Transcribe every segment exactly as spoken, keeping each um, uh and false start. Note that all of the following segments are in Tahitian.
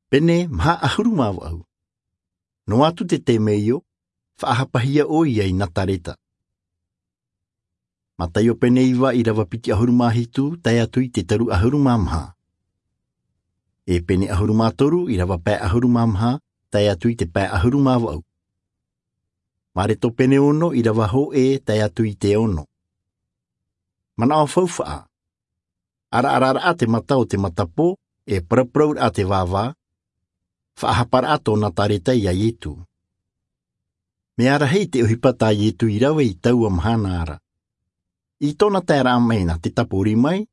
Pene maha ʻahuru mā vaʻu. Noa atu te temeio, faʻahapahia ʻoia i Nazareta. Mataio pene iva, ʻirava piti ʻahuru mā hitu, tae atu i te toru ʻahuru mā maha. E pene ʻahuru mā toru, ʻirava pae ʻahuru mā maha, tae atu i te pae ʻahuru mā vaʻu. Mareko pene ono, ʻirava hōʻē, tae atu i te ono. Manaʻo faufaʻa. ʻAraʻararaʻa te mata o te matapō, e paraparau raʻa te vāvā, faʻahaparaʻa tō Nazareta iā Ietu. Mea rahi te ʻohipa tā Ietu i rave i taua mahana ra. I tōna taeraʻa mai nā te tāpori mai,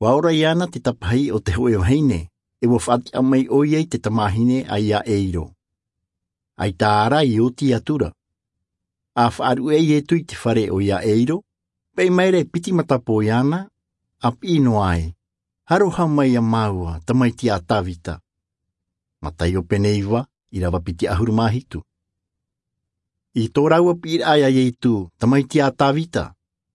ʻua ora iāna te tapahi o te hōʻē vahine, e ʻua faʻatiʻa mai ʻoia i te tamāhine a Iairo. ʻAita ra i oti atu ra. ʻA faʻaruʻe Ietu i te fare o Iairo, paʻi maira e piti matapō iāna, ʻa piʻi noa ai, aroha mai iā māua, tamaiti a Tavita. Mataio pene iva, ʻirava piti ʻahuru mā hitu. I tō rāua piʻiraʻa iā Ietu, tamaiti a Tavita,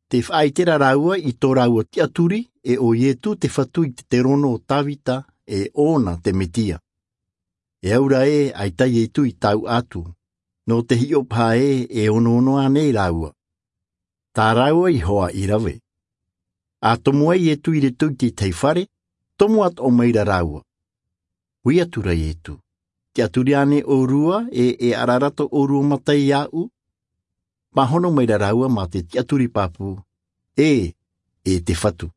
tē faʻaʻite ra rāua i tō rāua tiʻaturi, e ʻo Ietu te fatu i te terono o Tavita, e ʻōna te Metia. E aura ē, ʻaita Ietu i tauʻa atu, nō te hiʻo paha ē, e onoono ānei rāua. Tā rāua iho ā i rave. ʻA tomo ai Ietu i roto i te tahi fare, tomo atoʻa maira rāua. Ui atu ra Ietu, tiʻaturi ānei ʻōrua, e, e ʻaraʻara tō ʻōrua mata iāʻu? Pāhono maira rāua mā te tiʻaturi pāpū, ē, e te fatu.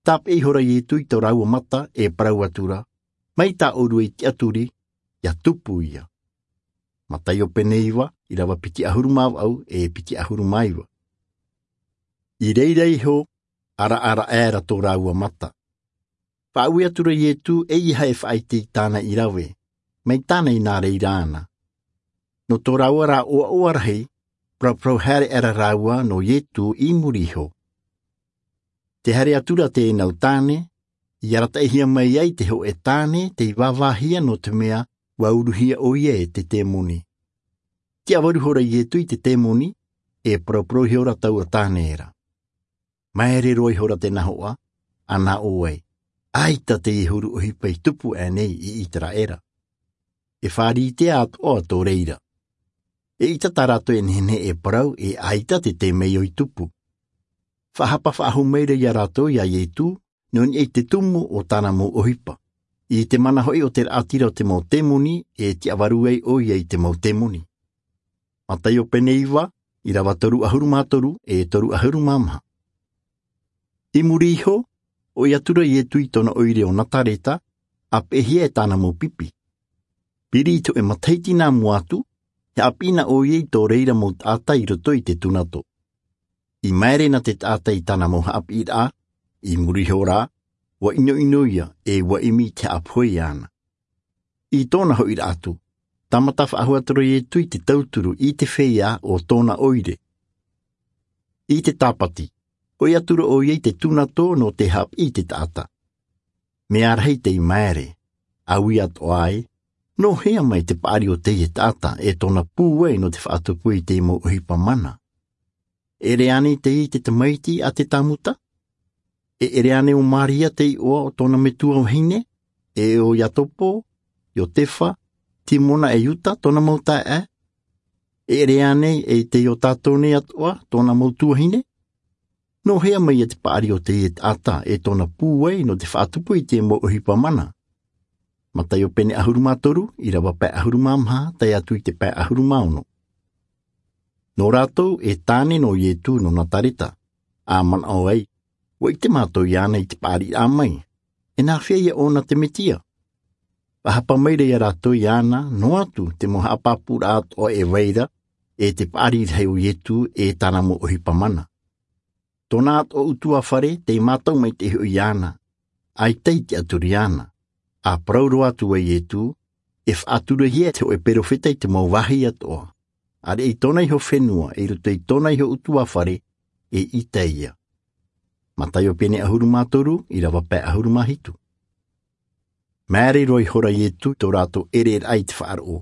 Tāpeʻa ihora Ietu i tō rāua mata, e parau atu ra, mai tā ʻōrua i tiʻaturi, ʻia tupu ia. Mataio pene iva, ʻirava piti ʻahuru mā vaʻu, e piti ʻahuru mā iva. I reira iho, ʻaraʻaraʻa ra tō rāua mata. Faʻaui atu ra Ietu, ʻeiaha e faʻaʻite i tāna i rave, mai tāna i nā reira ana. Nō tō rāua rā ʻoaʻoa rahi, paraparau haere aʻera rāua nō Ietu i muri iho. Tē haere atu ra teie nau tāne, i arataʻihia mai ai te hōʻē tāne, tei vāvāhia nō te mea, ʻua uruhia ʻoia e te temoni. Tiʻavaru ihora Ietu i te temoni, e paraparau ihora taua tāne ra. Māere roa ihora te nahoʻa, ʻa nā ʻō ai, ʻaita teie huru ʻohipa i tupu ānei i ʻĪteraʻera. E fāriʻi atoʻa tō reira. Eʻita tā rātou e nehenehe e parau, e ʻaita te temeio i tupu. Faʻahapa faʻahou maira iā rātou iā Ietu, nō niʻa i te tumu o tāna mau ʻohipa. I te mana hoʻi o te raʻatira o te mau temoni, e tiʻavaru ai ʻoia i te mau temoni. Mataio pene iva, ʻirava toru ʻahuru mā toru, e toru ʻahuru mā maha. I muri iho, ʻoi atu ra Ietu i tōna ʻoire o Nazareta, ʻa peʻehia e tāna mau pipi. Piri i te hōʻē matahiti nā mua atu, e haʻapiʻi na ʻoia i tō reira mau taʻata i roto i te tunato. I māere na te taʻata i tāna mau haʻapiʻiraʻa, i muri iho rā, ʻua ʻinoʻino ia, e ʻua ʻimi i te haʻapohe iāna. I tōna hoʻiraʻa atu, tāmata faʻahou atu ra Ietu i te tauturu i te feiā o tōna ʻoire. I te tāpati, ʻoi atu ra ʻoia i te tunato nō te haʻapiʻi i te taʻata. Mea rahi tei māere, ʻa ui atoʻa ai, nō hea mai te paʻari o teie taʻata, e tōna pūai nō te faʻatupu i te mau ʻohipa mana. E ʻere ānei teie i te tamaiti a te Tāmuta? E ʻere ānei ʻo Māria te iʻoa o tōna metua vahine, e ʻo Iakobo, Iosefa, Simona e Iuda tōna mau taeaʻe? E ʻere ānei e te ʻo tātou nei atoʻa tōna mau tuahine? Nō hea mai ia te paʻari o teie taʻata e tōna pūai nō te faʻatupu i te mau ʻohipa mana? Mataio pene ʻahuru mā toru, ʻirava pae ʻahuru mā maha, tae atu i te pae ʻahuru mā ono. Nō rātou e tāne nō Ietu nō Nazareta, ʻa manaʻo ai, ʻua ʻite mātou iāna i te paʻariraʻa mai, e nāfea ia ʻōna te Mesia? Faʻahapa maira iā rātou iāna, noa atu te mau haʻapāpūraʻa atoʻa e vai ra, e te paʻari rahi o Ietu e tāna mau ʻohipa mana. Tōna atoʻa ʻutuāfare, tei mātau maitaʻi hoʻi iāna, ʻaita i tiʻaturi iāna. ʻA parau roa atu ai Ietu, e faʻaturahia te hōʻē perofeta i te mau vāhi atoʻa. ʻĀreʻa i tōna iho fenua, i roto i tōna iho ʻutuāfare, eʻita ia. Mataio pene ʻahuru mā toru, ʻirava pae ʻahuru mā hitu. Māere roa ihora Ietu i tō rātou ʻereraʻa i te faʻaroʻo.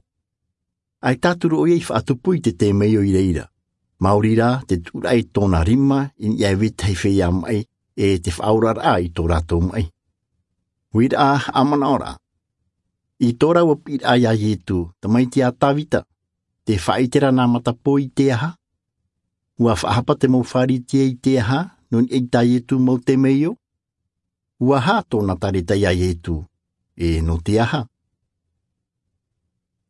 ʻAita atu ra ʻoia i faʻatupu i te temeio i reira. Maori rā te tuʻuraʻa i tōna rima, i niʻa e vetahi feiā maʻi, e te faʻaoraraʻa i tō rātou maʻi. Uiraʻa, haʻamanaʻoraʻa. I tō rāua piʻiraʻa iā Ietu, tamaiti a Tavita, te faʻaʻite ra nā matapō i te aha? Ua faʻahapa te mau Pharisea i te aha nō niʻa i tā Ietu mau temeio? Ua aha tōna ʻēʻa iā Ietu, e nō te aha?